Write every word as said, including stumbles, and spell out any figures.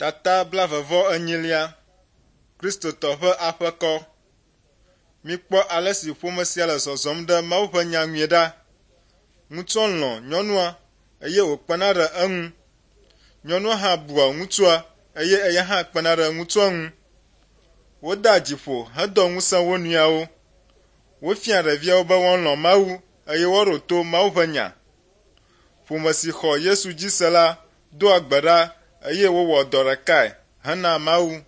Tata blaeve-vɔ-enyilia. Kristotɔ ƒe aƒekɔ. Mikpɔ ale si ƒome sia le zɔzɔm ɖe Mawu ƒe nya nue ɖa. Ŋutsua lɔ̃ nyɔnua eye wòkpena ɖe eŋu. Nyɔnua hã bua ŋutsua eye eya hã kpena ɖe ŋutsua ŋu. Wodea dzi ƒo hedoa ŋusẽ wo nɔewo. Wofia ɖeviawo be woalɔ̃ Mawu eye woaɖo to Mawu ƒe nya. Ƒome si xɔ Yesu dzi se la doa gbe ɖa eye wowɔ dɔ ɖekae hena Mawu.